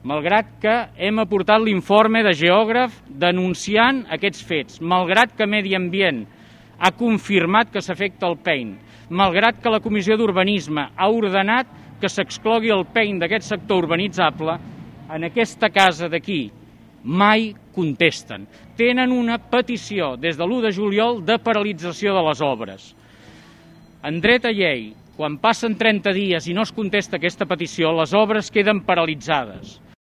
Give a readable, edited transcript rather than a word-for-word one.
malgrat que hem aportat l'informe de geògraf denunciant aquests fets, malgrat que Medi Ambient ha confirmat que s'afecta el pein, malgrat que la Comissió d'Urbanisme ha ordenat que s'exclogui el pein d'aquest sector urbanitzable, en aquesta casa d'aquí mai contesten. Tenen una petició des de l'1 de juliol de paralització de les obres. En dret a llei, quan passen 30 dies i no es contesta aquesta petició, les obres queden paralitzades.